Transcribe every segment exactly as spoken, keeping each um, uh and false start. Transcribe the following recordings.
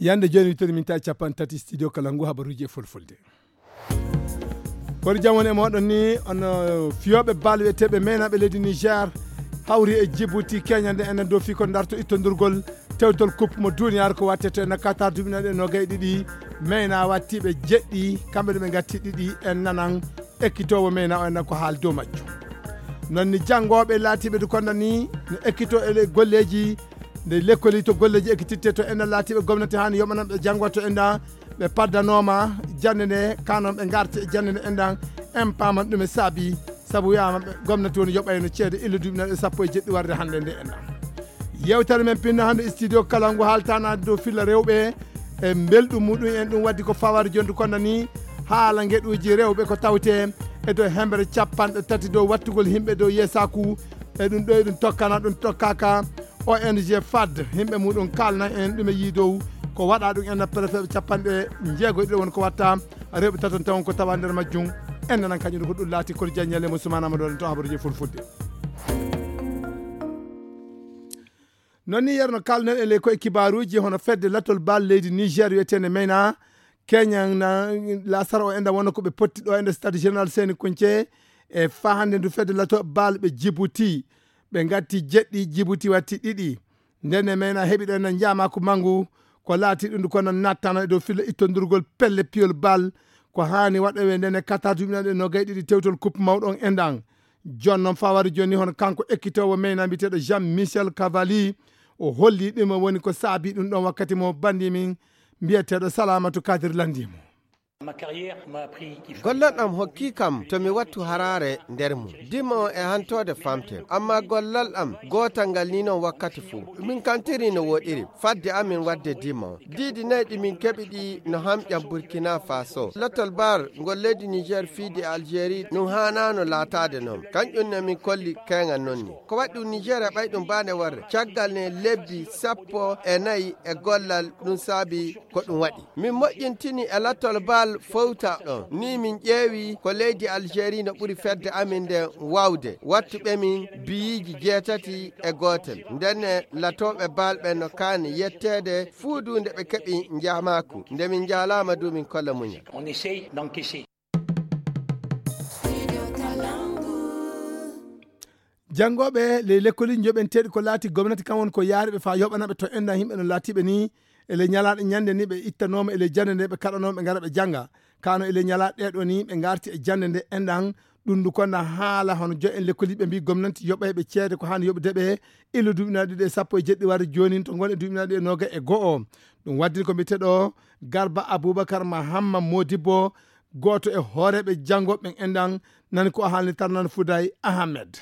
Yande jooni, wittere min tawi capanɗe tati, studio kala ngu habaruuji e fulfulde. Kono jam woni e mooɗon ni, on, uh, fiyooɓe bal wiyeteeɓe meenaaɓe leydi Niger hawri e Djibouti, keñande enen dow fii ko darto ittondurgol tewtol coupe mo duniyaaru ko wattete no Qatar duuɓi nayi e noogay e ɗiɗi. Meenaa wattiiɓe jeɗɗi, kamɓe ɗo ɓe ngatti ɗiɗi en nanan ekkitoowo meenaa o en ko haal dow majjum. Non ni janngooɓe laatiiɓe du konda ni no ekkito e le-, golleeji nde lekkoli to golleeji ekkititte to enen laatiiɓe gomnati haani yoɓananɓe janngo to enda ɓe paddanooma jannde nde, kanon ɓe ngarti e jannde nde enɗan, en paaman ɗum e saabi, sabu wiyaama ɓe gomnati woni yoɓayno ceede illa duuɓi nayi e sappo e jeɗɗi warde hannde nde enɗan. Yewtere men pinno hannde studio kala ngu haaltanaade dow filla rewɓe e mbelɗum muɗum en, ɗum waddi ko fawaade jonde konda ni haala ngeɗuuji rewɓe ko tawte e dow hembere capanɗe tati dow wattugol yimɓe dow yeesaaku. E ɗum ɗo e ɗum tokkana, ɗum tokkaka O N G fad, yimɓe muɗum kalna en ɗum e yii dow ko waɗa ɗum en préfet capanɗe jeego e ɗiɗo woni ko watta rewɓe taton tawon ko tawa nder majjum. En nanan kañum ko ɗum laati kono jaññale mo Soumana Amadou to habaruji fulfulde. Non ni yerno kalnen e ley koye kibaruuji hono fedde lattol bal leydi Niger wiyeteende Meyna Keñan na lasara o enda wona ko ɓe potti ɗo enda stade général Seni Kunce e fahande ndu fedde lato bal ɓe Djibouti. Ɓe ngatti jeɗɗi, Djibouti watti ɗiɗi. Nden e Meyna heɓi ɗo enda njaamaku mangu ko laati ɗum ko nan nattana e dow filla ittondurgol pelle piyol bal ko haani waɗowe nden e Qatar duuɓi nayi e noogay ɗiɗi tewtol coupe mawɗo on endan. Jon noon fawari joni hono kanko ekkitoowo Meyna mbiyeteeɗo Jean Michel Cavalli, o holli ɗum woni ko saabi ɗum ɗon wakkati mo bandi min mbiyeteeɗo Salamatu Kadir landi mo. Gollal am hokki kam to mi wattu haraare nder mum. Dima on e hantoode famten, amma gollal am gootal ngal ni noon wakkati fuu. Min kantiri no woɗiri fadde amin wadde dima on. Diidi nayi ɗi min keɓi ɗi no hamƴam Burkina Faso. Lattol bar ngol leydi Niger fiidi e Algérie ɗum haanaano laataade noon. Kanƴum ne min kolli keeŋa noon ni. Ko waɗi ɗum Niger e ɓay ɗum baane warre. Caggal ne lebbi sappo e nayi e gollal ɗum saabi ko ɗum waɗi. Min moƴƴintini e lattol bal fowta ɗon. Ni min ƴeewi ko leydi Algérie no ɓuri fedde amin nden wawde. Wattuɓe min biyiiji jeetati e gootel. Ndenne latooɓe bal ɓen no kaani yetteede fuu du nde ɓe keɓi njaamaaku. Nde min njaalaama du min kolla muñal. Janngooɓe ley lekkoliji joɓenteeɗi ko laati gomnati kam woni ko yaari ɓe faa yoɓana ɓe to enɗan yimɓe no laatiɓe ni. E ley ñalaaɗe ñande ni ɓe ittanooma e ley jannde nde ɓe kaɗanooma ɓe ngara ɓe jannga. Kano e ley ñalaaɗe ɗeɗo ni ɓe ngarti e jannde nde enɗan. Ɗum ndu konda haala hono jo en lekkoliɓe mbi gomnati yoɓay ɓe ceede ko haani yoɓude ɓe. Illa duuɓinaaɗe ɗiɗi e sappo e jeɗɗi warde jooni to ngon e duuɓinaaɗe ɗiɗi e noogay e go'o. Ɗum waddini ko mbiyeteeɗo Garba Abubakar Mahamma Modibbo, gooto e hooreeɓe janngoɓe ɓen enɗan, nani ko o haalni Tarnan Fuday Ahamed.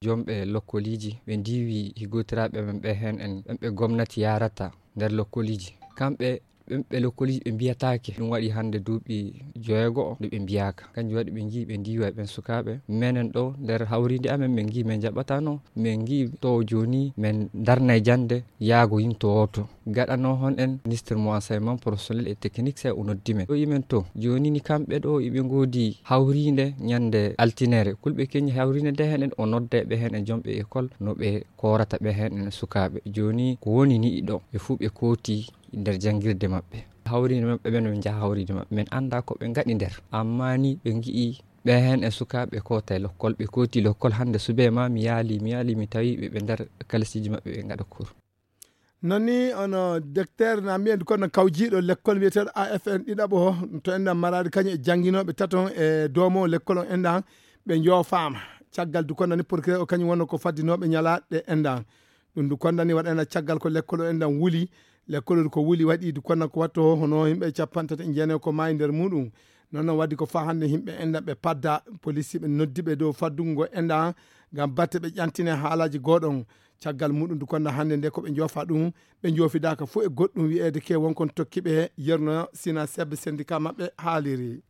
Jomɓe lokkoliiji ɓe ndiwi higgotiraaɓe men ɓe heen en ɓen ɓe gomnati yaarata nder lokkoliiji. Kamɓe ɓen ɓe lokkoliiji ɓe mbiyataake. Ɗum waɗi hannde duuɓi joweego o nde ɓe mbiyaaka. Kanjum waɗi ɓe ngiyi ɓe ndiwa e ɓen sukaaɓe. Menen ɗo nder hawriinde amen min ngiyi min njaɓataano. Min ngiyi to jooni min ndarnay jannde yaago yinto wooto. Gaɗano hon en ministre mo enseignement professionnel et technique, sey o noddi men. O yi men to, jooni ni kamɓe ɗo iɓe ngoodi hawriinde ñande altinere. Kulɓe keñi hawriinde nde heen en o nodda ɓe heen e jomɓe école no ɓe koorata ɓe heen en sukaaɓe. Jooni ko woni ni ɗo, ɓe fuu ɓe kooti nder janngirde maɓɓe. Hawriinde maɓɓe ɓen ɓe njaha hawriinde maɓɓe. Min annda ko ɓe ngaɗi nder. Amma ni ɓe ngi'i ɓe heen e sukaaɓe koota e lokkol, ɓe kooti lokkol hannde subee ma mi yaali, mi yaali mi tawi ɓe ɓe nder kalisiiji maɓɓe ɓe ngaɗa cours. Non ni ono docteur na mbiyen kono kawjiiɗo lekkol wiyeteeɗo A F N ɗiɗaɓo to enɗan maraade kañum e jannginooɓe taton e doomo lekkol on enɗan ɓe njoofaama. Caggal du kono ni procureur o kañum wonno ko faddinooɓe ñalaaɗe enɗan. Ɗum du kondani waɗana caggal ko lekkol o enɗan wuli. Lekkol ko wuli waɗi du kono ko watto hono yimɓe capanɗe tati e jeenayo ko maayi nder muɗum. Non non waddi ko faa hannde yimɓe enɗan ɓe padda police ɓe noddi ɓe dow faddungo enɗan ngam batte ɓe ƴantine haalaaji gooɗon. Caggal muɗum du kono hannde nde ko ɓe njoofa ɗum, ɓe njoofidaaka fof e goɗɗum wi'eede ke wonkon tokki ɓe yerno sina sebbe syndicat maɓɓe haaliri.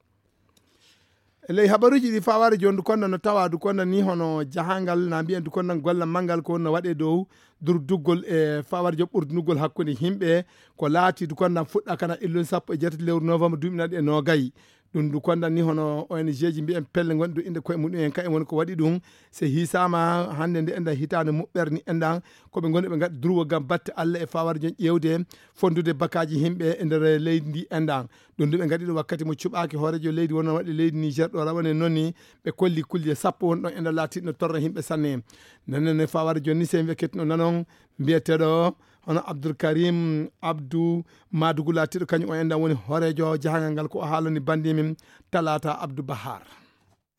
E ley habaruuji ɗi fawaare jooni du kono no tawa du kono ni hono jahangal na mbiyen du kono golla mangal ko wonno waɗe dow durduggol e fawaare joom ɓurdunugol hakkunde yimɓe ko laati du kono fuɗɗa kana illun sappo e jeetati lewru novembre duuɓi naɗi e noogay. Ɗum ndu kondan ni hono O N G ji mbiyen pelle ngonɗi ɗo innde koye muɗum en, kayen woni ko waɗi ɗum. Se hiisaama hannde nde enɗan hitaande muɓɓere ni enɗan, ko ɓe ngoni ɓe ngaɗi durwo ngam batte Alla e fawaade jon ƴeewde fonndude bakaaji yimɓe e nder leydi ndi enɗan. Ɗum ndu ɓe ngaɗi ɗo wakkati mo cuɓaaki hooreejo leydi wonno waɗi leydi Niger ɗo rawane noon ni ɓe kolli kulle sappo won ɗon enɗan laatiiɗo no torra yimɓe sanne. Nenen e fawaade jon ni se en wekkettino nanon mbiyeteeɗo hono Abdoul Karim Abdou Madougou laatiiɗo kañum o enɗan woni hooreejo jahangal ngal ko o haalani banndimin Talata Abdou Bahar.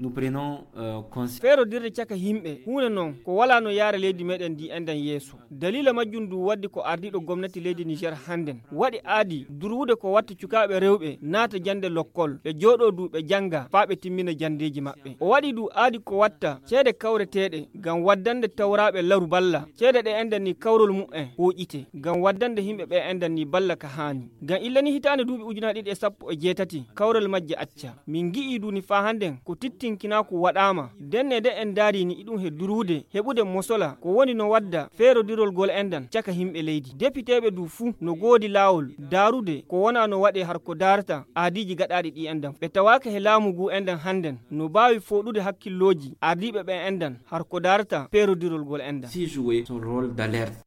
Nous prenons euh, conscience. Feerodirde caka yimɓe huunde noon ko walaa no yaara leydi meɗen ndi enɗan yeeso. Daliila majjum ndu waddi ko ardiiɗo gomnati leydi Niger hannden waɗi aadi durwude ko watta cukaaɓe rewɓe naata jannde lokkol, ɓe jooɗoo du ɓe jannga faa ɓe timmina janndeeji maɓɓe. O waɗi du aadi ko watta ceede kawreteeɗe ngam waddande tawraaɓe laru balla. Ceede ɗe enɗan ni kawrol mu'en hooƴite ngam waddande yimɓe ɓe enɗan ni balla ka haani. Ngam illa ni hitaande duuɓi ujunaaji ɗiɗi e sappo e jeetati kawrol majje acca. Min ngi'ii du ni faa hannden ko tittinkinaaku waɗaama. Ndenne de en ndaarii ni iɗum he durwude heɓude mosola ko woni no wadda feerodirol gol enɗan caka yimɓe leydi. Depiteeɓe du fuu no goodi laawol daarude ko wonaa no waɗee har ko daarata aadiiji gaɗaaɗi ɗi enɗan. Ɓe tawaaka he laamu ngu enɗan hannden no baawi fooɗude hakkillooji ardiiɓe ɓe enɗan har ko daarata feerodirol gol enɗan. Si jouer son rôle d'alerte.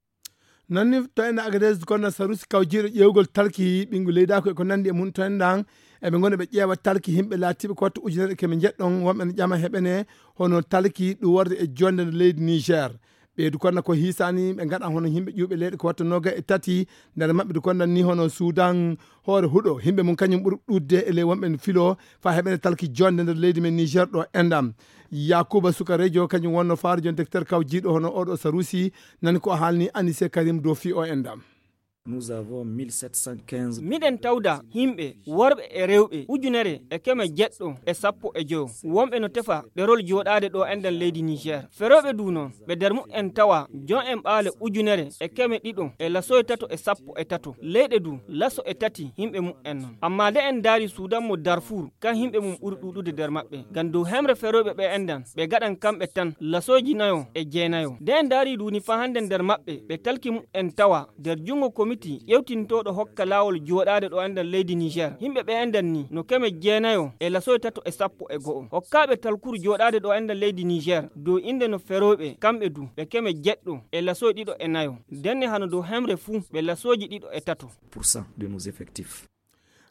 Noon ni to enɗan Agadez kono Sarusi kawjiiɗo ƴeewgol talki ɓinngu leydaaku e ko nanndi e mum to enɗan eɓe ngoni ɓe ƴeewa talki yimɓe laatiiɓe ko watta ujunere keme njeɗɗon wonɓe no ƴama heɓene hono talki ɗum worde e jonde nder leydi Niger. Ɓeydu kono ko hiisaani ɓe ngaɗa hono yimɓe ƴuuɓe leyɗe ko watta noga e tati nder maɓɓe du kondan ni hono Sudan hoore huɗo yimɓe mum kañum ɓuri ɗuɗde e ley wonɓe no filo faa heɓene talki jonde nder leydi men Niger ɗo enɗan. Yakuba Suka Rejo kañum wonno faaro jon directeur kawjiiɗo hono oɗo Sarusi nani ko haalni Anise Karim dow fii o enɗan. Nous avons mille sept cent quinze. Miɗen tawda yimɓe worɓe e rewɓe ujunere e keme jeɗɗo e sappo e joyo wonɓe no tefa ɗerol jooɗaade ɗo enɗan leydi Niger. Ferooɓe du noon ɓe nder mu'en tawa jon en ɓaale ujunere e keme ɗiɗo e lasoy tato e sappo e tato leyɗe du laso e tati yimɓe mu'en noon. Amma nde en ndaari Suudan mo Darfour kan yimɓe mum ɓuri ɗuuɗude nder maɓɓe. Ngam dow hemre ferooɓe ɓe enɗan ɓe gaɗan kamɓe tan lasooji nayo e jeenayo. Nde en ndaari du ni faa hannde nder maɓɓe ɓe talki mu'en tawa nder junngo komiti ƴewtintooɗo hokka laawol jooɗaade ɗo enɗan leydi Niger. Yimɓe ɓe enɗan ni no keme jeenayo e lasoy tato e sappo e go'o. Hokkaaɓe talkuru jooɗaade ɗo enɗan leydi Niger dow innde no ferooɓe kamɓe du ɓe keme jeɗɗo e lasoy ɗiɗo e nayo. Ndenne hano dow hemre fuu ɓe lasooji ɗiɗo e tato. Pour cent de nos effectifs.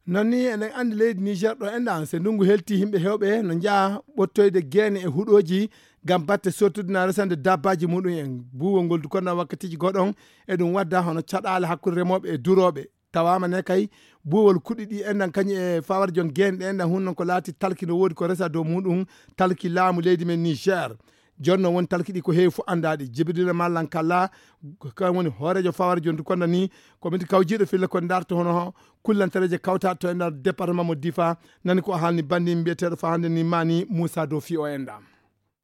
Noon ni eɗen anndi leydi Niger ɗo enɗan se ndunngu helti yimɓe heewɓe no njaha ɓottoyde geene e huɗooji ngam batte sottude na resande dabbaaji muɗum en. Buuwol ngol du kondan wakkatiiji goɗon eɗum wadda hono caɗaale hakkunde remooɓe e durooɓe. Tawaama ne kay buuwol kuɗi ɗi enɗan kañum e fawar jon geene ɗe enɗan hunnon ko laati talki no woodi ko resa dow muɗum talki laamu leydi men Niger. Jonno woni talki ɗi ko heewi fof anndaaɗi. Jibirila Mallan Kalla kan woni hooreejo fawar jon du kondan ni komiti kawjiiɗo filla ko ndarto hono kullantareeje kawtaaɗe to e nder département mo Difa nani ko o haalni banndi mbiyeteeɗo faa hannde ni maani Moussa Dofi o enɗan.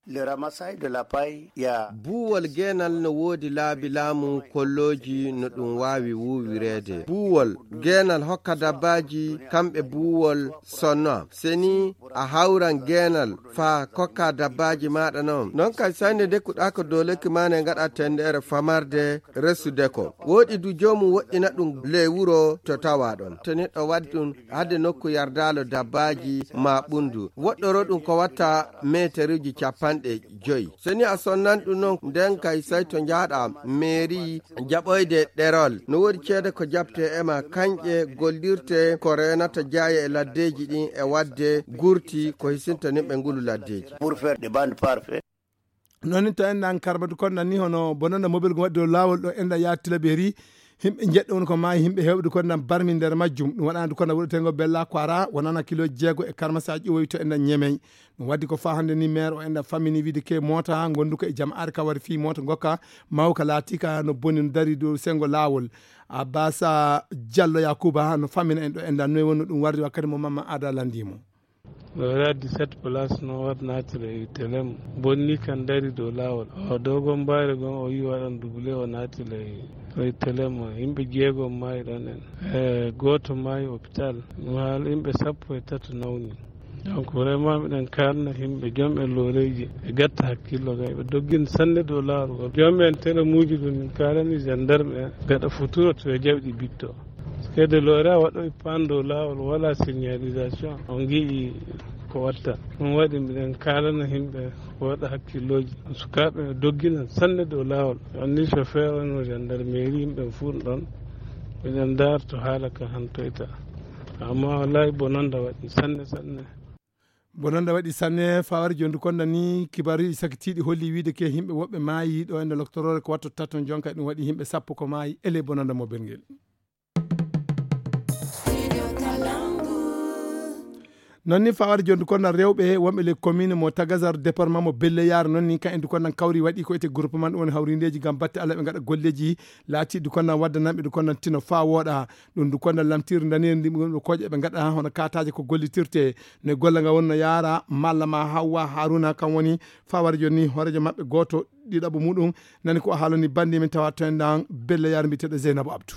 Le ramassage de la paille ya. Buuwol geenal no woodi laabi laamu kollooji no ɗum waawi wuuwireede. Buuwol geenal hokka dabbaaji kamɓe buuwol sonno. Seni a hawran geenal faa kokka dabbaaji maaɗa noon. Noon kay sannde ndekkuɗaa ko dow lekki maa ne ngaɗa tenndeere famarde resude ko. Woɗi du joomum woɗɗina ɗum ley wuro to tawaa ɗon. To neɗɗo waɗi ɗum hade nokku yardaalo dabbaaji maa ɓunndu. Woɗɗoro ɗum ko watta meeteruuji capanɗe joyi. So ni a sonnan ɗum noon, nden kay sey to njahɗaa meeri jaɓoyde ɗerol. No woodi ceede ko jaɓtee e ma, kañƴe gollirte ko reenata jaaye e laddeeji ɗin e waɗde gurti ko hisinta nimɓe ngulu laddeeji. Pour faire des bandes parfaites. Noon ni to enɗan Karmatu Kondan ni hono bonanda mobel ngo waɗi dow laawol ɗo enɗan yaha Tilaberi. Yimɓe njeɗɗo woni ko maayi, yimɓe heewɓe du kondan barmi nder majjum. Ɗum waɗana du kondan wuɗetengo Bella Kwara wonana kilo jeego e karmasa ƴiwoyi to enɗan Ñemey. Ɗum waddi ko faa hannde ni maire o enɗan fammini wiide ke moota ngonduka e jama'aare ka wari fii moota ngokka mawka laatika no boni no dari dow sengo laawol. Abbasa Jallo Yakuba no fammina en ɗo enɗan noy wonno ɗum wardi wakkati mo Mamma Ada landimo. Ɗo era dix-sept place no waɗ naatira e telem. Bonni kan dari dow laawol. O dogon mbayre gon o yi waɗan double o naatira e telem. Yimɓe jeego maayi ɗon en. E gooto maayi hôpital. Ɗum haala yimɓe sappo e tato nawni. Donc vraiment miɗen kaarna yimɓe jom e looreeji e gatta hakkillo gay ɓe doggin sanne dow laawol ngol. Jom en telemuuji ɗum min kaalani gendarme en gaɗa futuro to e jawɗi bitto. Seede loore a waɗoy paan dow laawol, wala signalisation, on ngi'i ko watta. Ɗum waɗi mbiɗen kaalana yimɓe ko waɗa hakkillooji. Sukaaɓe no doggina sanne dow laawol. Anni chauffeur on no gendarmerie, yimɓe fuu ɗon. Mbiɗen ndaar to haala ka hantoyta. Amma wallahi bononda waɗi sanne sanne. Bononda waɗi sanne, fawar jondu konda ni kibaaruji sakitiiɗi holli wiide ke yimɓe woɓɓe maayi ɗo e nder loktoroore ko watto tatton jonka, ɗum waɗi yimɓe sappo ko maayi ele bononda mo belngel. Non ni fawar jondu konda rewɓe wonɓe le commune mo Tagazar, département mo Belle Yare, non ni kan endu konda kawri waɗi ko ete groupement ɗum woni hawrindeji ngam batte Allah ɓe ngaɗa golleji laati du konda wadda nanɓe du konda tino fa woɗa. Ɗum du konda lamtir danir ndi ɗum koƴe ɓe ngaɗa hono kataje ko gollitirte ne golla nga wonno yara malla ma Hawwa Haruna kan woni fawar joni horejo maɓɓe goto ɗiɗaɓo muɗum. Nani ko haalani bandi min tawa to en dan Belle Yare mbiyeteɗo Zeynabou Abdou.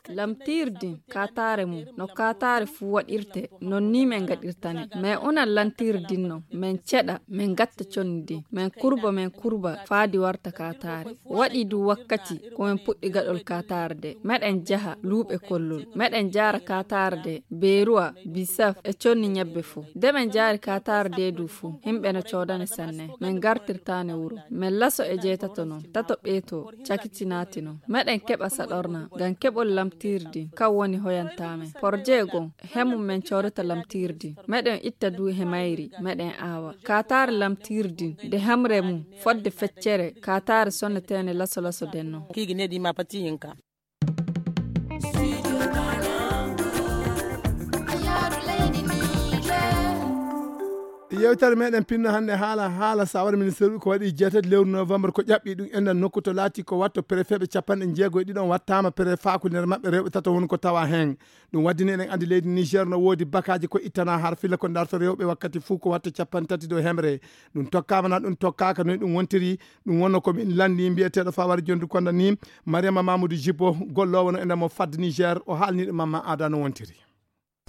Lamtirdi katare mum no katare fuu waɗirte, non ni min ngaɗirtane. Min una lamtirdi non, min ceɗa, min gatta conni din, min kurba, min kurba faa di warta katare. Waɗi du wakkati ko min puɗɗi gaɗol katare de. Meɗen jaha luuɓe kollol, meɗen jaara katare de, beeruwa, bisaf e conni ñebbe fuu. De min jaari katare de du fuu, yimɓe no coodane sanne. Min gartirtane wuro, min laso e jeetato non, tato ɓeeto, cakiti naati non. Meɗen keɓa saɗorna ngam keɓol lamtirdi, kan woni hoyantaamen. Porje gon, he mum min coodata lamtirdi. Meɗen itta du he mayri, meɗen aawa. Katare lamtirdi, de hemre mum, fodde feccere, katare sonnetene laso laso den non. Yewtere meɗen pinno hannde haala, haala sawara ministre ko waɗi jeetati lewru novembre ko ƴaɓɓi ɗum enɗan nokku to laati ko watto préfet ɓe capanɗe jeego e ɗiɗon wattama préfaaku nder maɓɓe rewɓe tato woni ko tawa heen. Ɗum waddini eɗen anndi leydi Niger no woodi bakaaji ko ittana har filla ko darto rewɓe wakkati fuu ko watto capanɗe tati dow hemre. Ɗum tokkama na ɗum tokkaka noy ɗum wontiri. Ɗum wonno ko min lanndi mbiyeteeɗo fawar jondu konda ni Mariama Mamoudou Jibo, gollowo no e nder mo fadde Niger, o haalniɗo Mamma Ada no wontiri.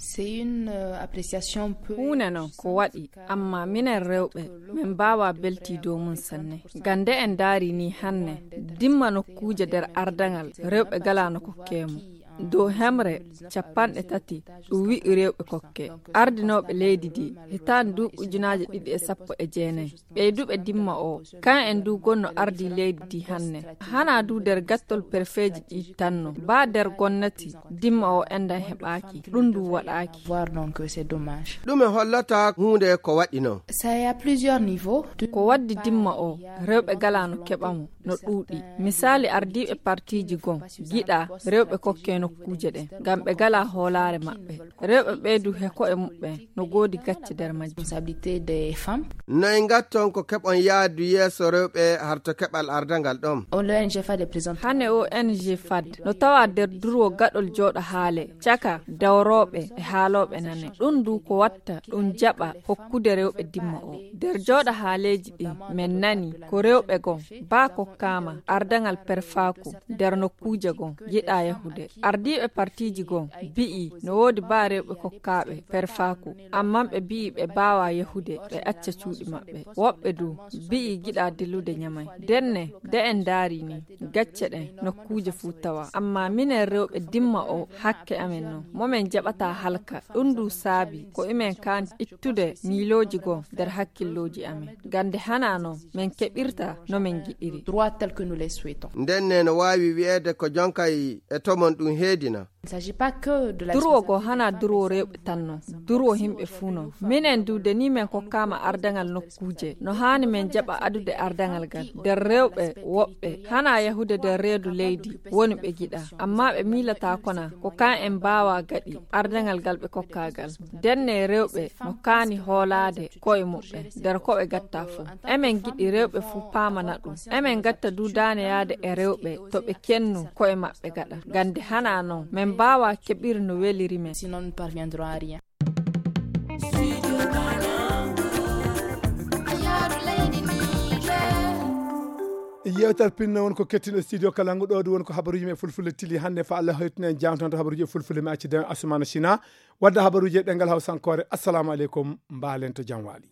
C'est une euh, appréciation peu huunde non ko waɗi, amma minen rewɓe min mbaawa belti dow mum sanne. Gande en ndaari ni hanne, dimma nokkuuje nder ardaŋal rewɓe gala no kokke mum. Dow hemre capanɗe tati ɗum wi'i rewɓe kokke. Ardinooɓe leydi ndi hitaande duuɓi ujunaaje ɗiɗi e sappo e jeenayi. Ɓeyduɓe dimma o, kan en du gonno ardi leydi ndi hanne. Hana du nder gattol perfeeji ɗi tanno. Ba nder gonnati, dimma o enɗan heɓaaki. Ɗum du waɗaaki. Voir donc c'est dommage. Ɗume hollata huunde ko waɗi non? Ça est à plusieurs niveaux. Ko waddi dimma o, rewɓe gala no keɓa mo, no ɗuuɗi. Misaali ardiiɓe partiiji gon, giɗa rewɓe kokke nokkuuje ɗen, ngam ɓe gala hoolaare maɓɓe. Rewɓe ɓeydu he ko'e muɓɓen, no goodi gacce nder majji. Responsabilité des femmes. No e ngatton ko keɓon yaadu yeeso rewɓe harto keɓal ardangal ɗon? O L N G fad e présent. Hane O N G fad, no tawa nder durwo gaɗol jooɗo haale, caka dawrooɓe e haalooɓe nane. Ɗum du ko watta, ɗum jaɓa hokkude rewɓe dimma o. Nder jooɗo haaleeji ɗin, men nani ko rewɓe gon, ba kokkaama ardangal perfaaku nder nokkuuje gon, yiɗa yahude. Ardiiɓe partiiji gon bi'i no woodi ba rewɓe kokkaaɓe perfaaku, amman ɓe bi'i ɓe baawa yahude, ɓe acca cuuɗi maɓɓe. Woɓɓe du bi'i giɗa dillude ñamay. Denne, de en ndaari ni, gacce ɗen nokkuuje fuu tawa. Amma minen rewɓe dimma o hakke amen non, mo men jaɓata halka. Ɗum du saabi ko imen kaan ittude miilooji gon nder hakkillooji amen. Gande hana non men keɓirta no men giɗiri. Droit tel que nous les souhaitons. Ndenne no waawi wi'eede ko jonkay e tomon ɗum heedina. Il ne s'agit pas que de la durwo go hana durwo rewɓe tan non, durwo himɓe fuu non. Minen du de ni men kokkaama ardangal nokkuuje, no haani men jaɓa adude ardangal gal nder rewɓe woɓɓe, hana yahude nder reedu leydi woni ɓe giɗa, amma ɓe miilata kona ko kan en mbaawa gaɗi ardangal gal ɓe kokkaagal. Denne rewɓe no kaani hoolaade ko'e muɓɓen nder ko ɓe gatta fuu. Emen giɗi rewɓe fuu paamana ɗum. Emen gatta du daane yaade e rewɓe to ɓe kennu ko'e maɓɓe gaɗa. Gande hana non, men mbaawa keɓir no weliri men. Sinon, nous ne parviendrons à rien. Yewtere pinno won ko kettin e studio Kalangu ɗo, ɗum won ko habaruji men fulfulde tili hannde. Fa Allah hoytinen jangtanto habaruji e fulfulde mi acci den Asumana Sina. Wadda habaruji e ɗengal Hausankore. Assalamu alaikum. Mbalen to jam waali.